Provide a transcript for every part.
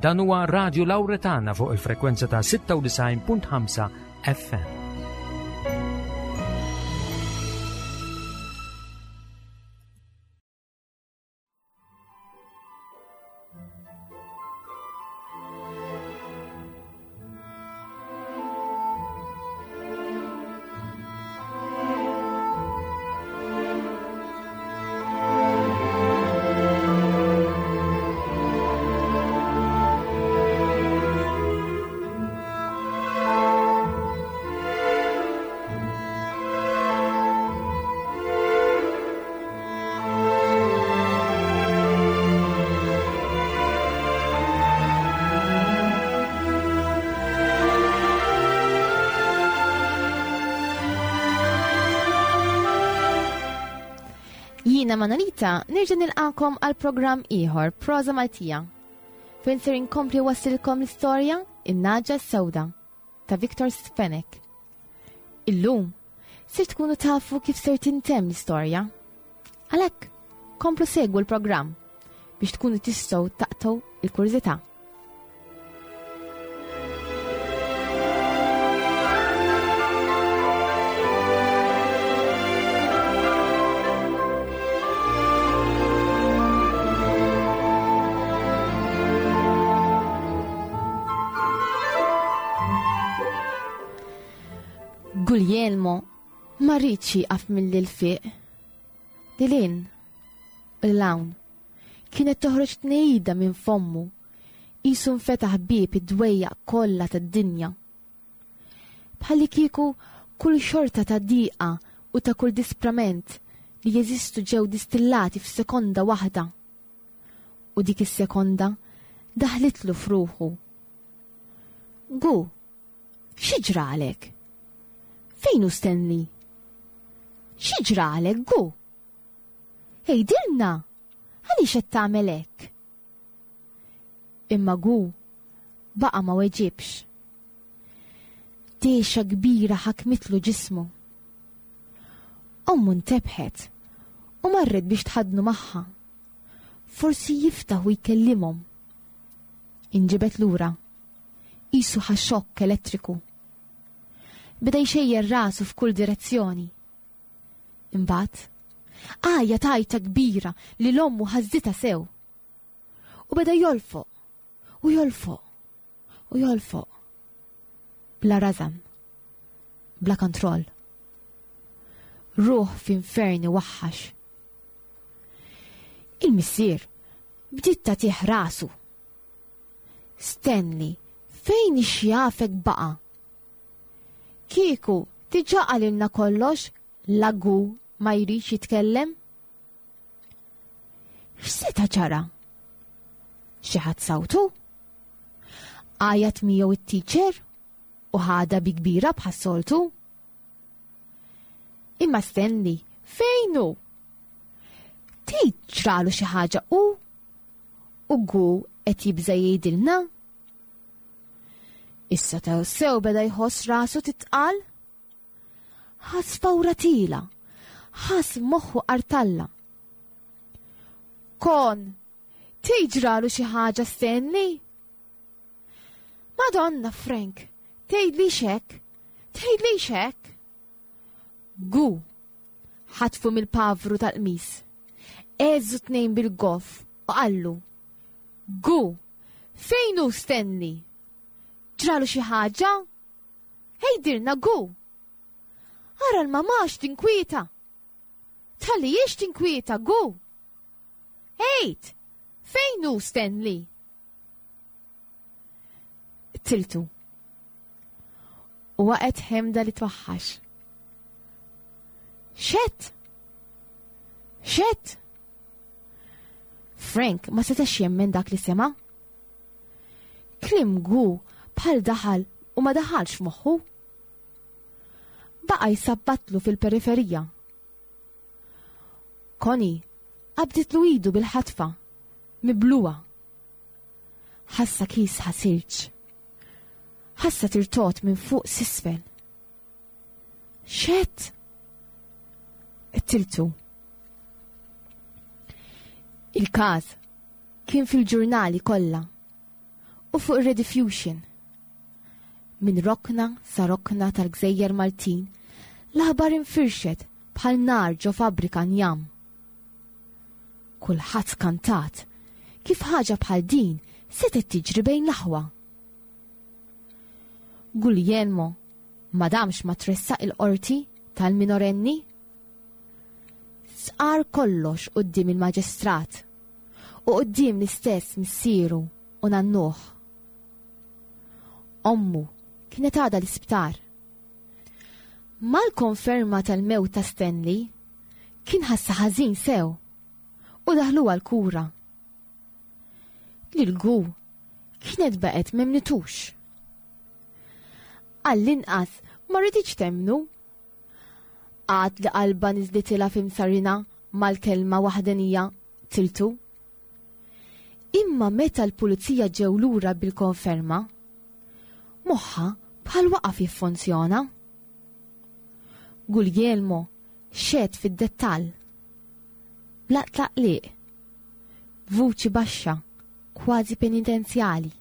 Dan huwa Radio Lauretana fuq il-frekwenza ta' 96.5 FM. Jiena Manolita nerġa' nilqakom għal programm ieħor Proza Maltija. Fejn ser inkompli wassilkom l-istorja In-Naġa Sewda ta' Victor Sfenek. Illum ser tkunu tafu kif ser tintemm l-istorja. Għalhekk, komplu segwu l-programm biex tkunu tistgħu taqtgħu il-kurżità. Guglielmo ma rridx jieqaf milli l-fiq. Lilin, u l-hawn, kienet toħroġ tnejda minn fommu, qisu nfetaħ bieb id-dwejjaq kollha tad-dinja. Bħalli kieku kull xorta ta' diqa u ta' kull disprament li jeżistu ġew distillati f'sekonda waħda. U dik is-sekonda daħlitlu f'ruħu. Gu, xi ġralek? Fejn hu Stanley? Xi ġralek, Gu? Għidilna, għaliex qed tagħmel hekk? Imma Gu baqa' ma weġibx. Dehxa kbira ħakmitlu ġismu. Ommu ntebħet u marret biex tħaddnu magħha. Forsi jiftaħ u jkellimhom. Inġibed lura. Qisu ħa xokk elettriku. Beda jxejjer rasu f'kull direzzjoni. Imbagħad, għajja tajta kbira li l-ommu ħażżitha sew. U beda jolfoq, u jolfoq, u jolfoq. Bla rażan, bla kontroll. Ruħ f'infern iwaħħax. Il-missier bdiet tagħtih rasu. Stanley, fejn ixjafek baqa'? Kieku diġà qalilna kollox lagu ma jridx jitkellem? X'seta' ġara? Xi ħadd sawtu? Għajat miegħu it-teacher u ħadha bi kbira bħas-soltu? Imma Stanley, fejn hu? Tgħid ġralu xi ħaġa hu? U gu qed jibża' jgħidilna? Issa ta' sew beda jħoss rasu titqal. Ħass fawra tila, ħass moħħu qartalla. Kon, tiġralu xi ħaġa Stanley? Madonna Frank, tgħidli xek, tgħidli xek. Gu, ħatfu mill-pavru tal-qmis. Eżu tnejn bil-goff u qallu. Gu, fejn hu Stanley? Ġralu xi ħaġa? Għidilna Gu! Ara l-mamà x'tinkwieta! Tħallihiex tinkwieta Gu! Għid! Fejn hu Stanley? Tiltu. U waqgħet ħemda li twaħħax. Xett! Xett! Frank ma setax jemmen dak li sema'. Kliem Gu bħal daħal u ma daħalx f'moħħu. Baqa' jsabbatlu fil-periferija. Connie qabditlu idu bil-ħatfa, mibluha. Ħassa kiesħa silġ. Ħassa tirtot minn fuq s'isfel. X'għedt? Qtiltu. Il-każ kien fil-ġurnali kollha. u fuq ir-Rediffusion. Minn rokna sa rokna tal-gżejjer Maltin, l-aħbar infirxet bħal nar ġo fabbrika njam. Kulħadd skantat kif ħaġa bħal din setgħet tiġri bejn l-aħwa. Guglielmo ma damx ma tressaq il-qorti tal-minorenni. Sqar kollox quddiem il-maġistrat u quddiem l-istess missieru u nannuh. Ommu kienet għadha l-isptar. Mal-konferma tal-mewt ta' Stanley, kien ħassa ħażin sew u daħluha l-kura. Lil Gu kienet baqgħet m'emmnitux. Għall-inqas ma riditx temmnu. Għad li qalbha niżlitilha f'imsarina mal-kelma waħdenija tiltu. Imma meta l-pulizija ġew lura bil-konferma, moħħha bħal waqaf jiffunzjona. Guglielmo xehed fid-dettall. Bla tlaqliq. B'vuċi baxxa, kważi penitenzjali.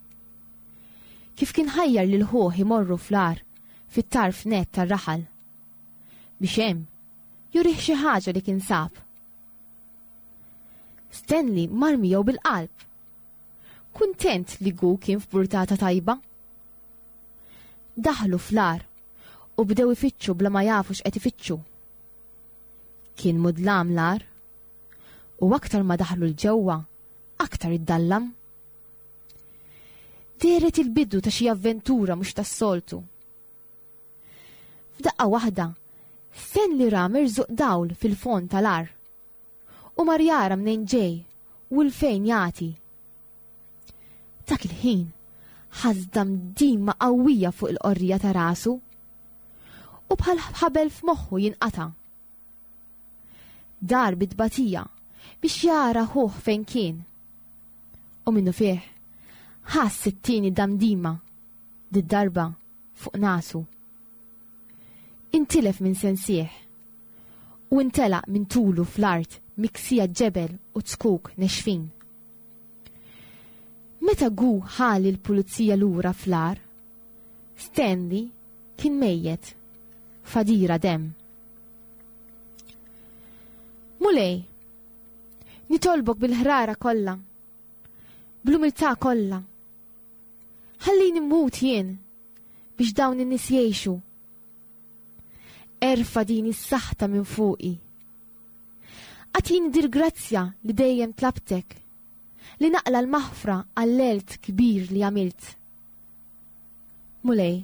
Kif kien ħajjar lil ħuh imorru fl-għar fit-tarf nett tar-raħal. Biex hemm jurih xi ħaġa li kien sab. Stanley mar miegħu bil-qalb. Kuntent li Gu kien f'burtata tajba. Daħlu fl-għar u bdew ifittxu bla ma jafu x'qed ifittxu. Kien mudlam l-għar u aktar ma daħlu l-ġewwa, aktar iddallam. Dehret il-bidu ta' xi avventura mhux tas-soltu. F'daqqa waħda, Stanley ra mirżuq dawl fil-fond tal-għar u mar jara mnejn ġej u 'l fejn jagħti. Dak il-ħin ħass damdima qawwija fuq il-qorrija ta' rasu u bħal ħabel f'moħħu jinqata'. Dar bi tbatija biex jara ħuh fejn kien. U minnu fih ħass it-tieni damdima did-darba fuq nasu. Intilef minn sensih u intelaq minn tulu fl-art miksija ġebel u zkuk nexfin. Meta Gu ħa lill-pulizija lura fl-għar, Stanley kien mejjet, f'għadira demm. Mulej, nitolbok bil-ħrara kollha, bl-umiltà kollha. Ħallini mmut jien biex dawn in-nies jgħixu. Erfa' din is-saħta minn fuqi. Agħtini dil-grazzja li dejjem tlabtek, li naqla' l-maħfra għall-għelt kbir li għamilt. Mulej,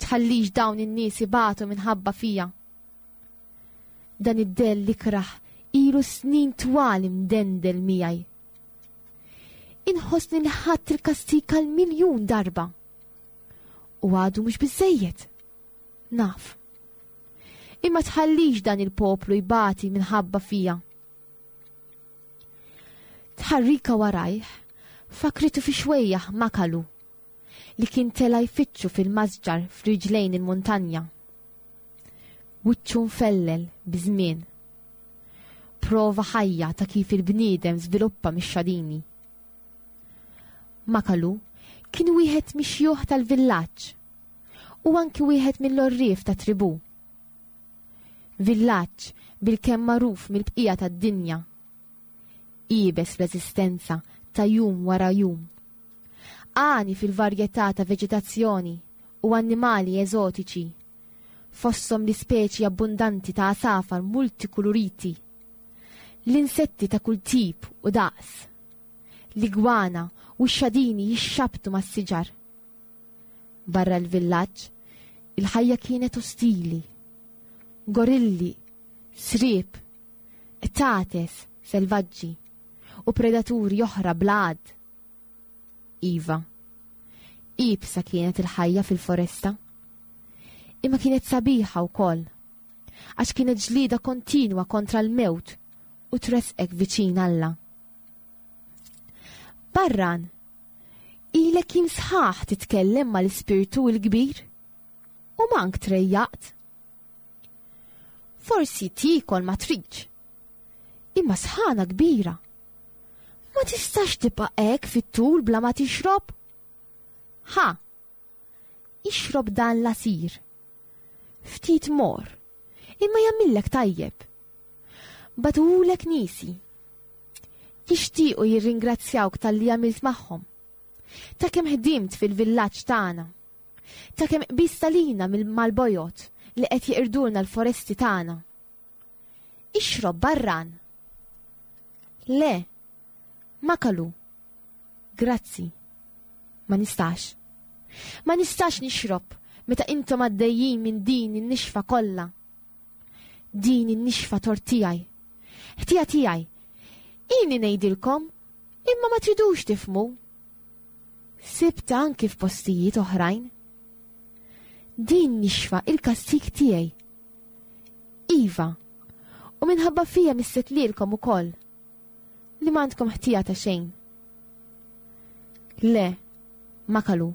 tħallix dawn in-nies ibatu minħabba fija. Dan id-dell l-ikrah ilu snin twal imdendel miegħi. Inħossni li ħadt il-kastig għal miljun darba. U għadu mhux biżejjed. Naf. Imma tħallix dan il-poplu jbati minħabba fija. Tħarrika warajh fakritu fi xwejjaħ makalu li kien tela jfittxu fil-masġar f'riġlejn il-muntanja. Wiċċu mfellel biż-żmien. Prova ħajja ta' kif il-bniedem żviluppa mix-xadini. Makalu kien wieħed mix-xjuħ tal-villaġġ u anki wieħed mill-għorrief ta' tribù. Villaġġ bilkemm magħruf mill-bqija tad-dinja. Iebes fl-eżistenza ta' jum wara jum. Għani fil-varjetà ta' veġetazzjoni u annimali eżotiċi, fosthom l-ispeċi abbundanti ta' għasafar multikuluriti, l-insetti ta' kull tip u daqs, l-igwana u x-xadini jixxabtu mas-siġar. Barra l-villaġġ, il-ħajja kienet ostili. Gorilli, sriep, qtates selvaġġi u predaturi oħra bla għadd. Iva, iebsa kienet il-ħajja fil-foresta. Imma kienet sabiħa wkoll, għax kienet ġlieda kontinwa kontra l-mewt u tressqek viċin Alla. Barran, Ilek jiem sħaħ titkellem mal-Ispirtu l-Kbir u mank trejjaqt. Forsi tiekol ma tridx, imma sħana kbira. Ma tistax tibqa' hekk fit-tul bla ma tixrob. Ħa! Ixrob dan l-għasir. Ftit mor, imma jagħmillek tajjeb. Bagħtuhulek niesi. Jixtiequ jirringrazzjawk talli għamilt magħhom. Ta' kemm ħdimt fil-villaġġ tagħna. Ta' kemm qbiżt għalina mal-bojod li qed jeqirdulna l-foresti tagħna. Ixrob barran. Le, Makalu. Grazzi. Ma nistax. Ma nistax nixrob meta intom għaddejjin minn din in-nixfa kollha. Din in-nixfa tort tiegħi. Ħtija tiegħi. Ilni ngħidilkom, imma ma tridux tifhmu. Sibta anki f'postijiet oħrajn. Din nixfa il-kastig tiegħi. Iva, u minħabba fija misset lilkom ukoll. Li m'għandkom ħtija ta' xejn. Le, Makalu,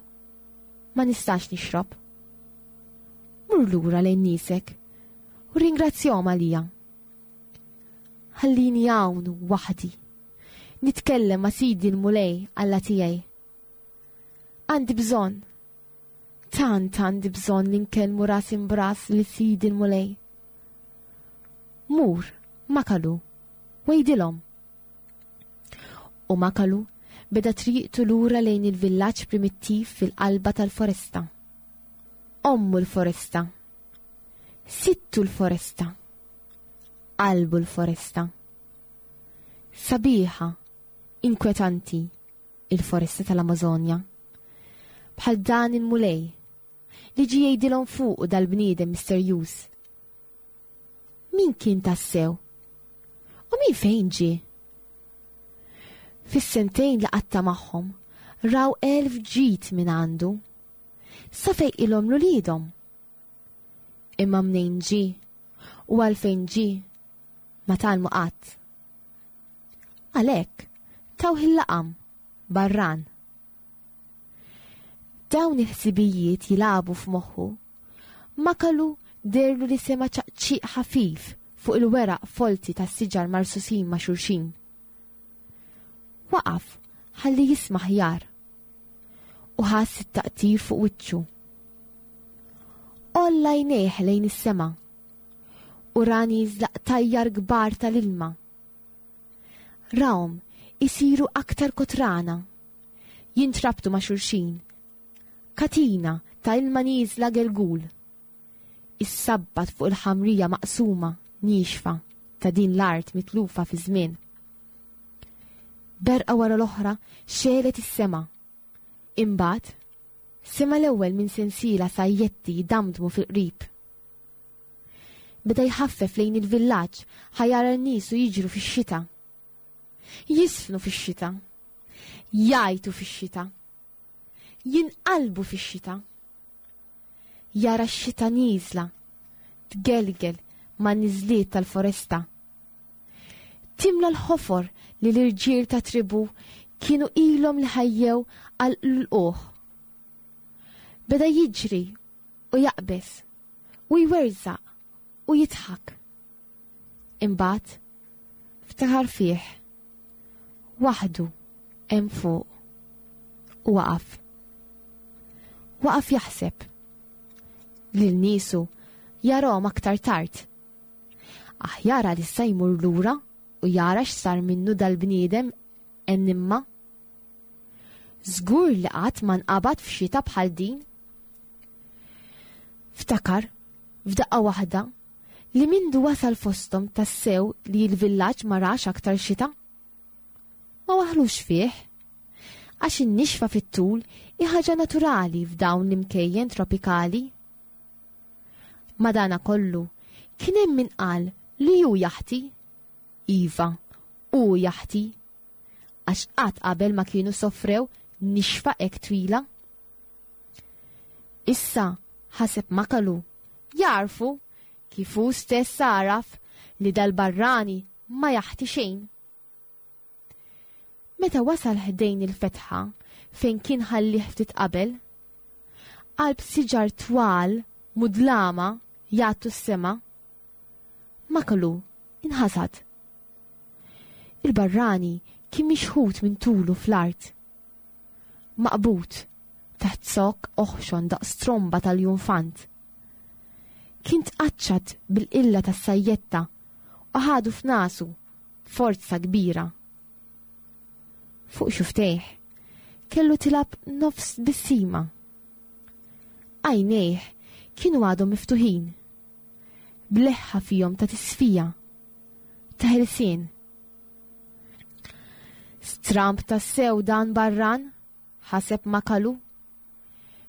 ma nistax nixrob. Mur lura lejn niesek u rringrazzjahom għalija. Ħallini hawn waħdi. Nitkellem ma' Sidi l-Mulej Alla tiegħi. Għandi bżonn. Tant għandi bżonn li nkellmu ras imbras li Sidi l-Mulej. Mur, Makalu, wejdilhom. U Makalu beda triqtu lura lejn il-villaġġ primittiv fil-qalba tal-foresta. Ommu l-foresta. Sittu l-foresta. Qalbu l-foresta. Sabiħa, inkwetanti, il-foresta tal-Amazonja. Bħal dan il-Mulej, li ġie jgħidilhom fuqu dal-bniedem misterjuż. Min kien tassew? U min fejn ġie? Fis-sentejn li qatta' magħhom, raw elf ġid minn għandu. Sa fejqilhom l-uliedhom. Imma mnejn ġie u għalfejn ġie ma tgħallmu qatt. Għalhekk tawh il-laqam barran. Dawn il-ħsibijiet jilagħbu f'moħħu. Makalu deherlu li sema' ċaqċiq ħafif fuq il-weraq folti tas-siġar marsusin ma' xulxin. Waqaf ħalli jisma' aħjar u ħass it-taqtir fuq wiċċu. Għolla għajnejh lejn is-sema u ra nieżla qtajjar kbar tal-ilma. Rahom isiru aktar kotrana, jintrabtu ma' xulxin, katina ta' ilma nieżla gelgul. Issabbat fuq il-ħamrija maqsuma, niexfa, ta' din l-art mitlufa fiż-żmien. Berqa wara l-oħra xegħlet is-sema. Imbagħad, sema' l-ewwel minn sensiela sajjetti jdamdmu fil-qrib. Beda jħaffef lejn il-villaġġ ħa jara n-nies u jiġru fix-xita. Jisfnu fix-xita. Jgħajtu fix-xita. Jinqalbu fix-xita. Jara x-xita nieżla, tgelgel man-niżliet tal-foresta. Timla l-ħofor li l-irġiel ta' tribu kienu ilhom li ħajjew għal lqugħ. Beda jiġri u jaqbeż u jwerżaq u jidħak. Imbagħad ftaħar fih waħdu hemm fuq u waqaf. Waqaf jaħseb lil niesu jarahom aktar tard. Aħjar għalissa jmur lura u jara x'sar minnu dal-bniedem enimma. Żgur li qatt ma nqabad f'xita bħal din. Ftakar, f'daqqa waħda, li mindu wasal fosthom tassew li l-villaġġ ma rax aktar xita. Ma waħlux fih, għax in-nixfa fit-tul hi ħaġa naturali f'dawn l-imkejjen tropikali. Madanakollu, kien hemm min qal li hu jaħti. Iva, hu jaħti. Għax qatt qabel ma kienu sofrew nixfa hekk twila. Issa ħaseb Makalu, jagħrfu kif hu stess għaraf li dal-barrani ma jaħti xejn. Meta wasal ħdejn il-fetħa fejn kien ħallih ftit qabel, qalb siġar twal mudlama jgħattu s-sema, Makalu inħasad. Il-barrani kien mixħut minn tulu fl-art. Maqbud. taħt zokk oħxon daqs tromba tal-junfant. Kien tqaċċat bil-qilla tas-sajjetta u ħadu f'nasu b'forza kbira. Fuq xuftejh kellu tilab nofs tbissima. Għajnejh kienu għadhom miftuħin, b'leħħa fihom ta' tisfija, ta' ħelsien. Stramb tassew dan barran, ħaseb Makalu.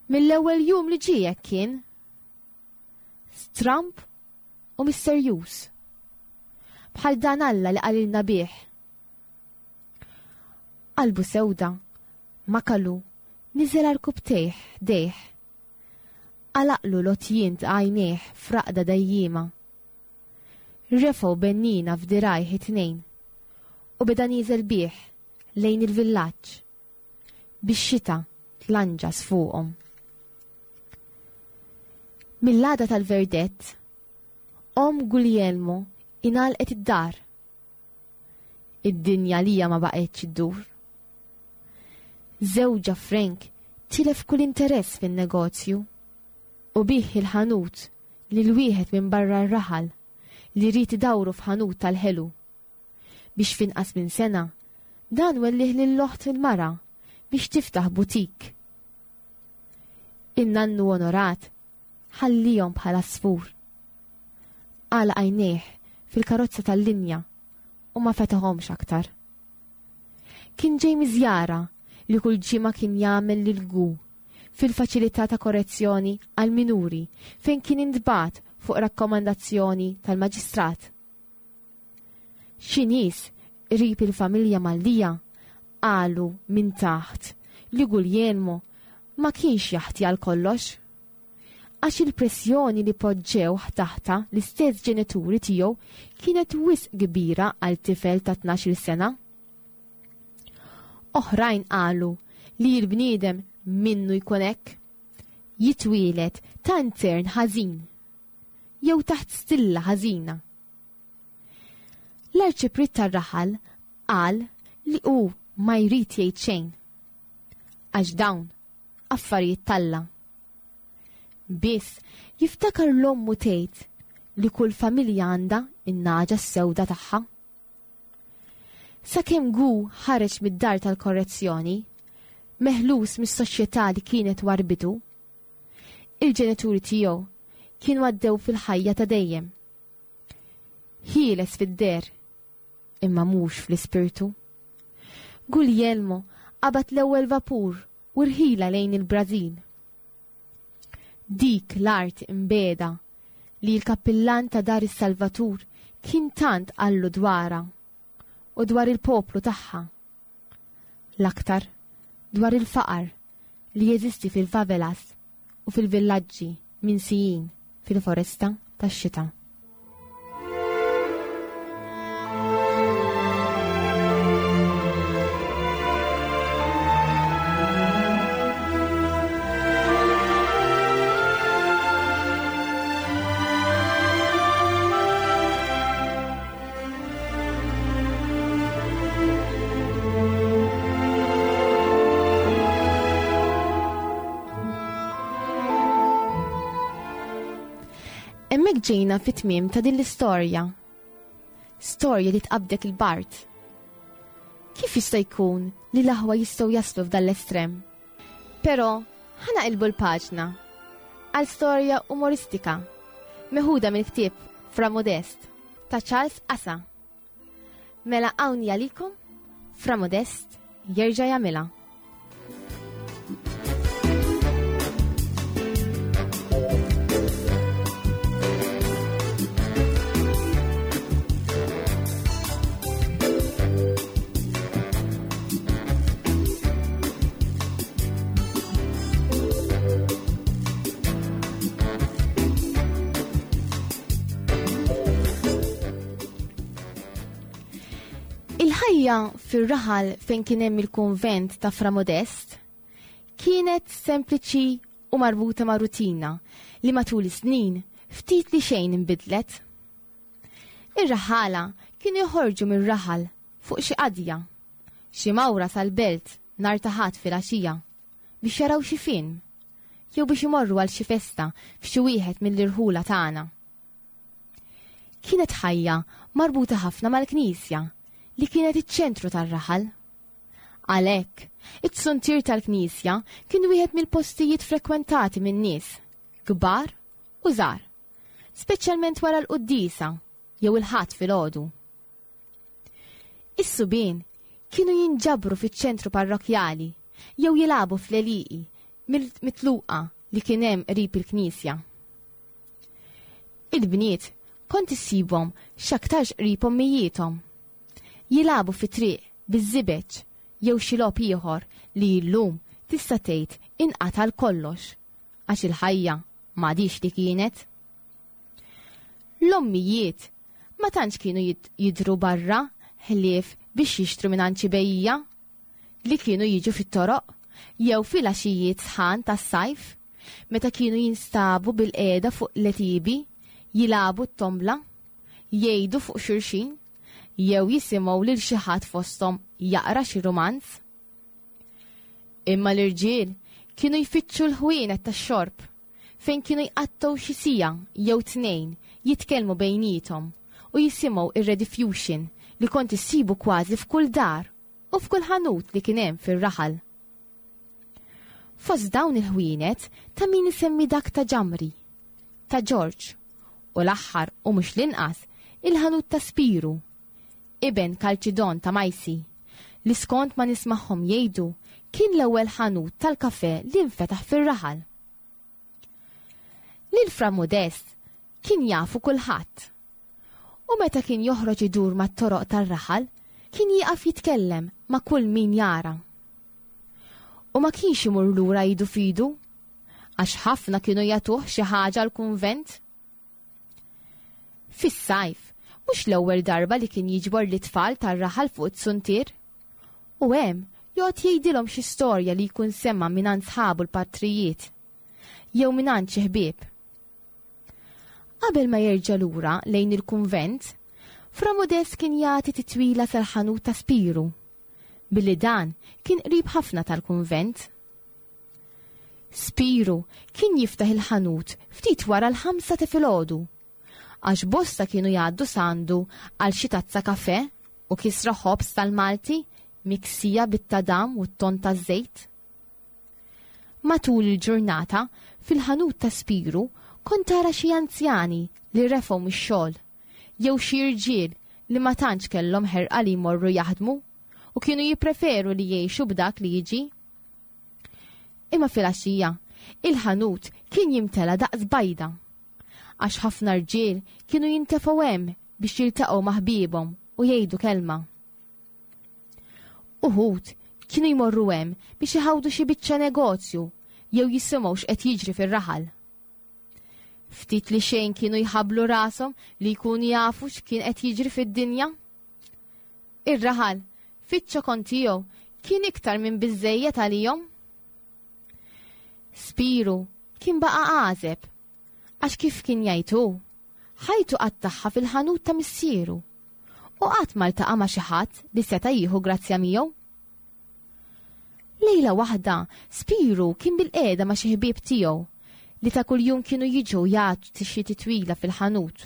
Mill-ewwel jum li ġie hekk kien. Stramb u misterjuż. Bħal dan Alla li qalilna bih. Qalbu sewda, Makalu niżel għarkupptejh ħdejh. Għalaqlu l-għotjien ta' għajnejh f'raqda dejjiema. Refgħu bennina f'dirgħajh it-tnejn u beda nieżel bih lejn il-villaġġ bix-xita tlanġas fuqhom. Mill-għada tal-verdett, omm Guglielmo ingħalqet id-dar. Id-dinja lija ma baqgħetx iddur. Żewġha Frank tilef kull interess fin-negozju u biegħ il-ħanut lil wieħed minn barra r-raħal li ried idawru f'ħanut tal-ħelu. Biex f'inqas minn sena, dan wellih lil oħt il-mara biex tiftaħ butik. In-nannu onorat ħallihom bħal għasfur. Għalaq għajnejh fil-karozza tal-linja u ma fetaħhomx aktar. Kien ġej miżjara li kull ġimgħa kien jagħmel lil Gu fil-faċilità ta' korrezzjoni għal minuri fejn kien intbagħat fuq rakkomandazzjoni tal-maġistrat. Xi nies qrib il-familja Mallia qalu minn taħt li Guglielmo ma kienx jaħti għal kollox. Għax il-pressjoni li poġġewh taħtha l-istess ġenituri tiegħu kienet wisq kbira għal tifel ta' tnax-il sena. Oħrajn qalu li l-bniedem minnu jkun hekk, jitwieled ta' intern ħażin jew taħt stilla ħażina. L-arċipriet tar-raħal qal li hu ma jrid jgħid xejn. Għax dawn affarijiet t'Alla. Biss jiftakar l-ommu tgħid li kull familja għandha in-nagħġa s-sewda tagħha. Sakemm Gu ħareġ mid-dar tal-korrezzjoni, meħlus mis-soċjetà li kienet warbitu, il-ġenituri tiegħu kienu għaddew fil-ħajja ta' dejjem. Ħieles fid-deher, imma mhux fl-ispirtu. Guglielmo qabad l-ewwel vapur u rħila lejn il-Brażil. Dik l-art imbiegħda li l-kappillan ta' Dar is-Salvatur kien tant qallu dwarha u dwar il-poplu tagħha. L-aktar dwar il-faqar li jeżisti fil-favelas u fil-villaġġi minsijin fil-foresta tax-xita. Hemmhekk ġejna fit-tmiem ta' din l-istorja. Storja li tqabdek il-bard. Kif jista' jkun li l-aħwa jistgħu jaslu f'dan l-estrem? Però ħa naqilbu l-paġna għal storja umoristika meħuda mill-ktieb Fra Modest ta' Charles Asa. Mela hawn għalikom Fra Modest jerġa' jagħmilha. Il-ħajja fir-raħal fejn kien hemm il-kunvent ta' Fra Modest kienet sempliċi u marbuta ma' rutina li matul is-snin ftit li xejn inbidlet. Ir-raħala kienu joħorġu mir-raħal fuq xi qadja, xi mawra sal-belt nhar ta' Ħadd filgħaxija. biex jaraw xi film jew biex imorru għal xi festa f'xi wieħed mill-irħula tagħna. Kienet ħajja marbuta ħafna mal-knisja li kienet iċ-ċentru tar-raħal. Għalhekk, it-suntier tal-knisja kien wieħed mill-postijiet frekwentati min-nies, kbar u żgħar, speċjalment wara l-quddiesa jew il-Ħadd filgħodu. Is-subien kienu jinġabru fiċ-ċentru parrokkjali jew jilagħbu fl-għelieqi mitluqa li kien hemm qrib il-knisja. Il-bniet kont issibhom x'aktarx qrib ommijiethom. Jilagħbu fit-triq biż-żibeġ jew xi logħob ieħor li llum tista' tgħid inqata' għal kollox għax il-ħajja m'għadhiex li kienet. L-ommijiet ma tantx kienu jidhru barra ħlief biex jixtru mingħand xi bejjiegħa li kienu jiġu fit-toroq jew filgħaxijiet sħan tas-sajf meta kienu jinstabu bilqiegħda fuq l-għetiebi jilagħbu t-tombla, jgħidu fuq xulxin jew jisimgħu lil xi ħadd fosthom jaqra xi rumanz. Imma l-irġiel kienu jfittxu l-ħwienet tax-xorb fejn kienu jqattgħu xi siegħa jew tnejn jitkellmu bejniethom u jisimgħu ir-Rediffusion li kont issibu kważi f'kull dar u f'kull ħanut li kien hemm fir-raħal. Fost dawn il-ħwienet ta' min isemmi dak ta' Ġamri, ta' Ġorġ u l-aħħar u mhux l-inqas il-ħanut ta' Spiru, iben Kalċidon ta' Majsi, li skont ma nismagħhom jgħidu kien l-ewwel ħanut tal-kafè li nfetaħ fir-raħal. Lil Fra Modest kien jafu kulħadd. U meta kien joħroġ idur mat-toroq tar-raħal, kien jieqaf jitkellem ma' kull min jara. U ma kienx imur lura idu f'idu, għax ħafna kienu jagħtuh xi ħaġa l-kunvent. Fis-sajf, mhux l-ewwel darba li kien jiġbor lit-tfal tar-raħal fuq it-suntier. U hemm joqgħod jgħidilhom xi storja li jkun sema' mingħand sħabu l-patrijiet jew mingħand xi ħbieb. Qabel ma jerġa' lura lejn il-kunvent, Fra Modest kien jagħti titwila sal-ħanut ta' Spiru, billi dan kien qrib ħafna tal-kunvent. Spiru kien jiftaħ il-ħanut ftit wara l-ħamsa ta' filgħodu, għax bosta kienu jgħaddu s'għandu għal xi tazza kafè u kisra ħobż tal-Malti miksija bit-tadam u t-tonn taż-żejt. Matul il-ġurnata, fil-ħanut ta' Spiru kont tara xi anzjani li refgħu mix-xogħol, jew xi irġiel li ma tantx kellhom ħerqa li jmorru jaħdmu u kienu jippreferu li jgħixu b'dak li jiġi. Imma filgħaxija, il-ħanut kien jimtela daqs bajda. Għax ħafna rġiel kienu jintefgħu hemm biex jiltaqgħu ma' ħbiebhom u jgħidu kelma. Uħud kienu jmorru hemm biex iħawdu xi biċċa negozju jew jisimgħu x'qed jiġri fir-raħal. Ftit li xejn kienu jħabblu rashom li jkunu jafu x'kien qed jiġri fid-dinja. Ir-raħal, fiċ-ċokon tiegħu, kien iktar minn biżżejjed għalihom. Spiru kien baqa' għażeb, għax kif kien jgħid hu, ħajtu qattagħha fil-ħanut ta' missieru u qatt ma ltaqa' ma' xi ħadd li seta' jieħu grazzja miegħu. Lejla waħda, Spiru kien bilqiegħda ma' xi ħbieb tiegħu li ta' kuljum kienu jiġu jagħtu xi titwila fil-ħanut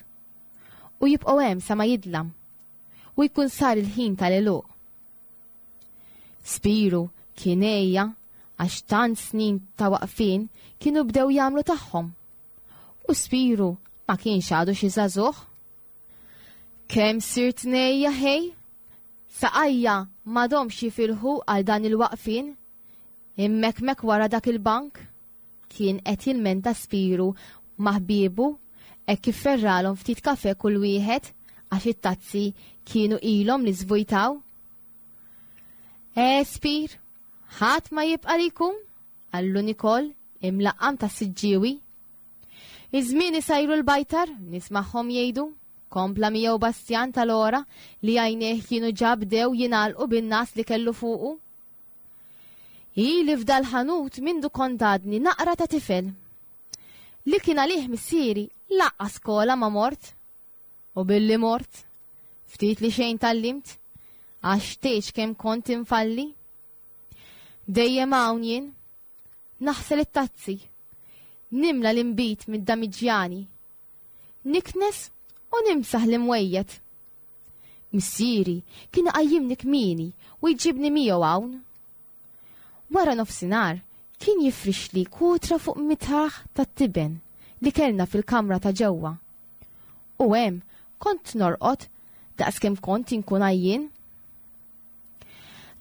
u jibqgħu hemm sa ma jidlam u jkun sar il-ħin tal-għeluq. Spiru kien għejja għax tant snin ta' waqfien kienu bdew jagħmlu tagħhom. U Spiru ma kienx għadu xi żagħżugħ. Kemm sirt ngħejja ħej? Saqajja m'għadhomx jifilħu għal dan il-waqfien. Immekmek wara dak il-bank. Kien qed jilmenta Spiru ma' ħbiebu hekk kif ferralhom ftit kafè kull wieħed għax it-tazzi kienu ilhom li żvujtaw. Eh, Spir, ħadd ma jibqa' li jkun, qallu Nikol imlaqqam tas-Siġġiewi. Iż-żmien isajru l-bajtar, nismagħhom jgħidu, kompla miegħu Bastjan tal-ora li għajnejh kienu ġa bdew jingħalqu bin-ngħas li kellu fuqu. Ili f'dal-ħanut mindu kont għadni naqra ta' tifel. Li kien għalih missieri laqqa skola ma mort. U billi mort, ftit li xejn tallimt, għax tgħidx kemm kont infalli. Dejjem hawn jien. Naħsel it-tazzi. Nimla l-inbid mid-damiġjani. Niknes u nimsaħ l-imwejjed. Missieri kien iqajjimni kmieni u jġibni miegħu hawn. Wara nofsinhar kien jifrixli kutra fuq mitraħ tat-tiben li kellna fil-kamra ta' ġewwa. U hemm kont norqod daqskemm kont inkun għajjien.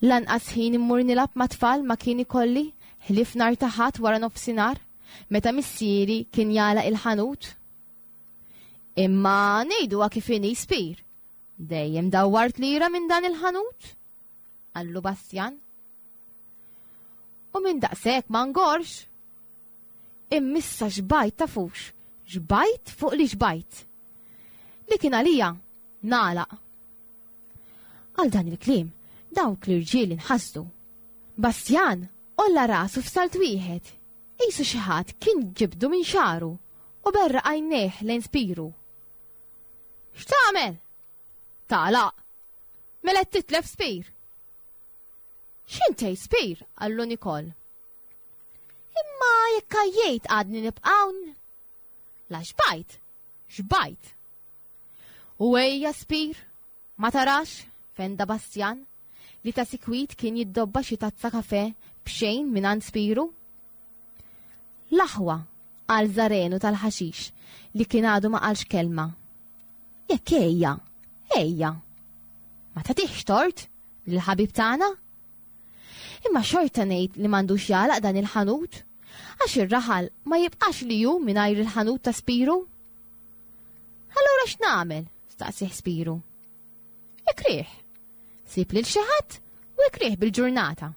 Lanqas ħin immur nilgħab mat-tfal ma kien ikolli ħlief nhar ta' Ħadd wara nofsinhar meta missieri kien jagħlaq il-ħanut. Imma ngħiduha kif inhi Spir, dejjem dawwart lira minn dan il-ħanut, qallu Bastjan. U minn daqshekk ma ngorx. Immissa xbajt tafux, xbajt fuq li xbajt. Li kien għalija, nagħlaq. Għal dan il-kliem, dawk l-irġiel inħasdu. Bastjan għolla rasu f'salt wieħed, qisu xi ħadd kien ġibdu minn xagħru u berraq għajnejh lejn Spiru. X'tagħmel? Tagħlaq. Mela qed titlef Spir. X'int tgħid Spir? qallu Nikol. Imma jekk għajjejt għadni nibqa' hawn. La xbajt, xbajt. U ejja Spir, ma tarax, fenda Bastjan, li ta' sikwit kien jiddobba xi tazza kafè b'xejn mingħand Spiru. L-aħwa, qal Żarenu tal-ħaxix li kien għadu ma qalx kelma. Jekk ejja, ejja. Ma tagħtihx tort lill-ħabib tagħna? Imma xorta ngħid li m'għandux jagħlaq dan il-ħanut, għax ir-raħal ma jibqax li hu mingħajr il-ħanut ta' Spiru. Allura x'nagħmel? staqsih Spiru. Ikrih. Sib lil xi ħadd u ikrih bil-ġurnata.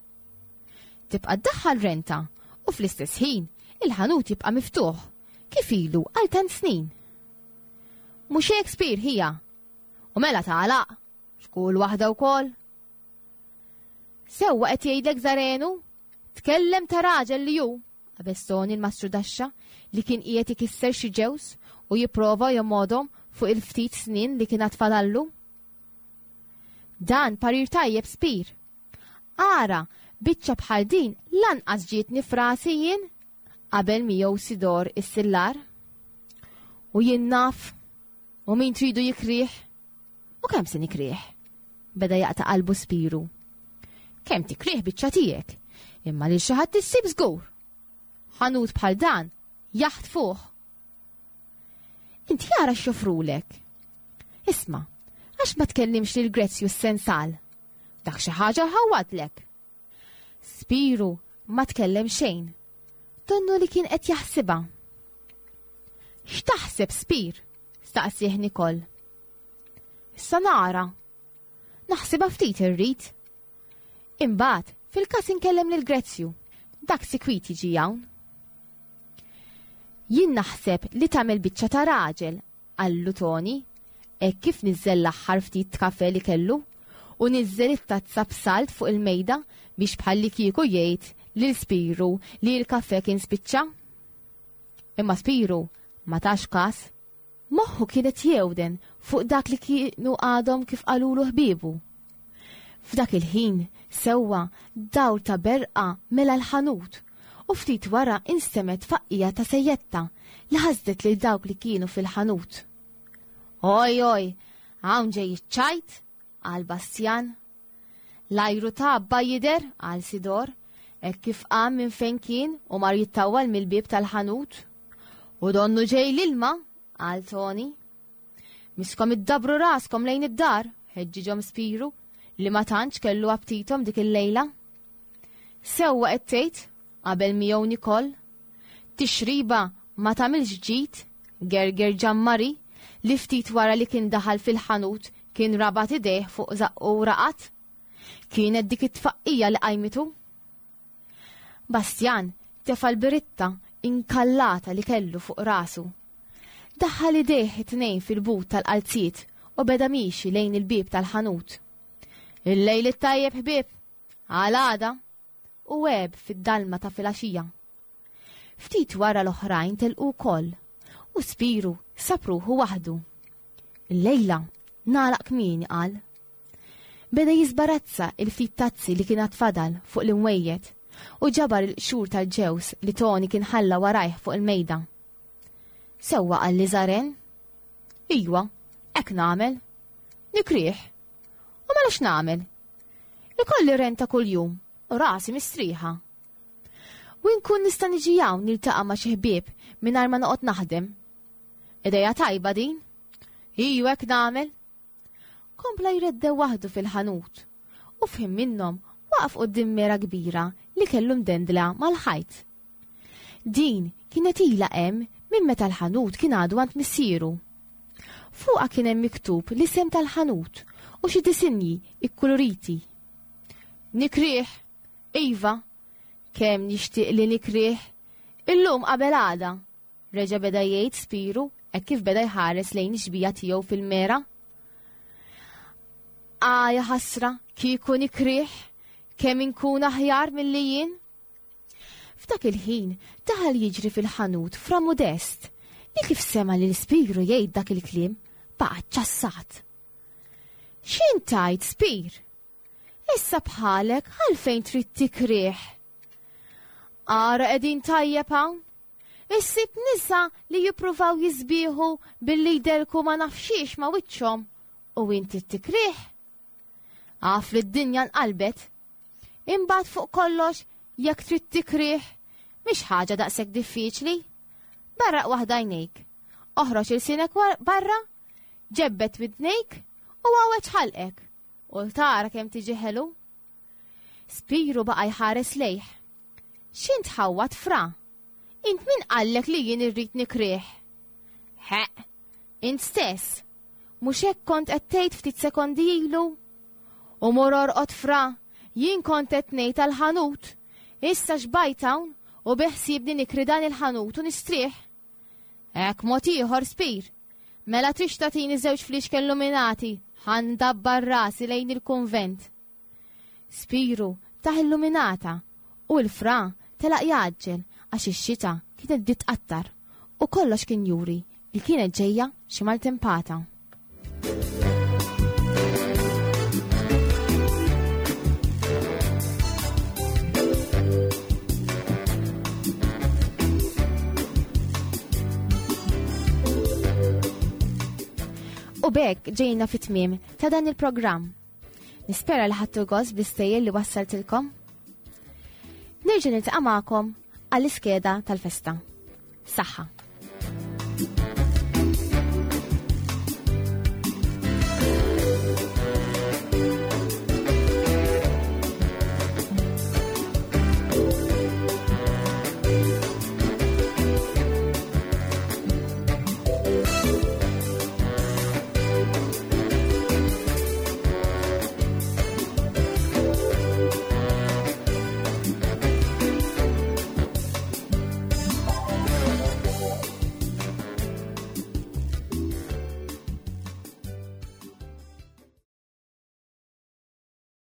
Tibqa' ddaħħal renta u fl-istess ħin il-ħanut jibqa' miftuħ kif ilu għal tant snin. Mhux hekk Spir ħija. U mela tagħlaq, xkull waħda wkoll. Sewwa qed jgħidlek Zarenu, tkellem ta' raġel li hu, qabeż Toni l-mastrudaxxa li kien qiegħed ikisser xi ġewż u jipprova jomgħodhom fuq il-ftit snien li kien għad fadallu. Dan parir tajjeb Spir. Ara, biċċa bħal din lanqas ġietni f'rasi jien qabel miegħu Sidor is-sillar. U jien naf u min tridu jikrih U kemm se nikrih? Beda jaqta' qalbu Spiru. Kemm tikrih biċċa tiegħek, imma lil xi ħadd issib żgur. Ħanut bħal dan jaħtfuh. Inti ara x'joffrulek. Isma', għax ma tkellimx lil Grezzju s-sensal? Dak xi ħaġa ħawadlek. Spiru ma tkellem xejn. Donnu li kien qed jaħsibha. X'taħseb Spir? staqsih Nikol. Issa nara. Naħsibha ftit irrid. Imbagħad, fil-każ inkellem lil Grezzju. Dak sikwit jiġi hawn. Jien naħseb li tagħmel biċċa ta' raġel qallu Toni, hekk kif niżżel l-aħħar ftit kafè li kellu u niżżel it-tazza b'salt fuq il-mejda biex bħallikieku jgħid lil Spiru li l-kafè kien spiċċa. Imma Spiru ma tax kas. Moħħu kien qed jewden fuq dak li kienu għadhom kif qalulu ħbiebu. F'dak il-ħin, sewwa, dawl ta' berqa mela l-ħanut u ftit wara instemgħet tfaqqija ta' sejjetta li ħasdet lil dawk li kienu fil-ħanut. Oj, oj, hawn ġej iċ-ċajt, qal Bastjan. L-ajru tgħabba jidher, qal Sidor, hekk kif qam minn fejn kien u mar jittawwal mill-bieb tal-ħanut. U donnu ġej l-ilma, qal Toni. Miskom iddabbru raskom lejn id-dar, ħeġġiġhom Spiru, li ma tantx kellu aptitom dik il-lejla. Sewwa qed tgħid, qabel miegħu Nikol. Tixriba ma tagħmilx ġid, gerger Ġammari, li ftit wara li kien daħal fil-ħanut kien rabat idejh fuq żaqqu u raqad. Kienet dik it-tfaqqija li qajmitu. Bastjan tefa' l-biritta inkallata li kellu fuq rasu. Daħħal idejh it-tnejn fil-but tal-qalziet u beda miexi lejn il-bieb tal-ħanut. Il-lejl it-tajjeb ħbieb! Għal għada! U għeb fid-dalma ta' filgħaxija. Ftit wara l-oħrajn telqu wkoll u Spiru sab ruħu waħdu. Illejla nagħlaq kmieni qal. Beda jiżbarazza il-ftit tazzi li kien għad fadal fuq l-imwejjed. u ġabar il-qxur tal-ġewż li Toni kien ħalla warajh fuq il-mejda. Sewwa qalli Żaren. Ijwa, hekk nagħmel. Nikrih. U mela x'nagħmel? Ikolli renta kuljum u rasi mistrieħa. U nkun nista' niġi hawn niltaqa' ma' xi ħbieb mingħajr ma noqgħod naħdem. Ideja tajba din. Iju hekk nagħmel. Kompla jreddew waħdu fil-ħanut u f'ħin minnhom waqaf quddiem mera kbira li kellu mdendla mal-ħajt. Din kienet ilha hemm minn meta l-ħanut kien għadu għand missieru. Fuqha kien hemm miktub l-isem tal-ħanut u xi disinji ikkuluriti. Nikrih, iva, kemm nixtieq li nikrih, illum qabel għada, reġa' beda jgħid Spiru hekk kif beda jħares lejn ix-xbija tiegħu fil-mera. Ah, ja ħasra, kieku nikrih, kemm inkun aħjar milli jien. F'dak il-ħin daħal jiġri fil-ħanut Fra Modest li kif sema' lil Spiru jgħid dak il-kliem baqa' ċċassat. X'int tgħid, Spir? Issa bħalek għalfejn trid tikrih? Ara qegħdin tajjeb hawn. Issib nisa li jippruvaw jisbieħu billi jdelku ma nafxiex ma wiċċhom u inti tikrih. Għaf li d-dinja nqalbet. Imbagħad fuq kollox jekk trid tikrih mhix ħaġa daqshekk diffiċli. Barraq waħda għajnejk. Oħroġ ilsienek barra, ġebbet widnejk u għaweġ ħalqek. U tara kemm tiġi ħelu. Spiru baqa' jħares lejh. X'int ħawwad fra? Int min qallek li jien irrid nikrih? Ħeq, int stess. Mhux hekk kont qed tgħid ftit sekondi ilu? U mur orqod fra, jien kont qed ngħid għall-ħanut. Issa xbajt hawn u beħsiebni nikri dan il-ħanut u nistrieħ. Hekk mod ieħor Spir. Mela trix tagħtini żewġ fliexken luminati, ħa ndabbar rasi lejn il-kunvent. Spiru tah illuminata u l-fra telaq jgħaġġel għax ix-xita kienet bdiet tqattar u kollox kien juri li kienet ġejja xi maltempata. U b'hekk ġejna fit-tmiem ta' dan il-programm. Nispera li ħadtu gost bl-istejjer li wassaltilkom. Nerġa' niltaqa' magħkom għall-iskeda tal-festa. Saħħa!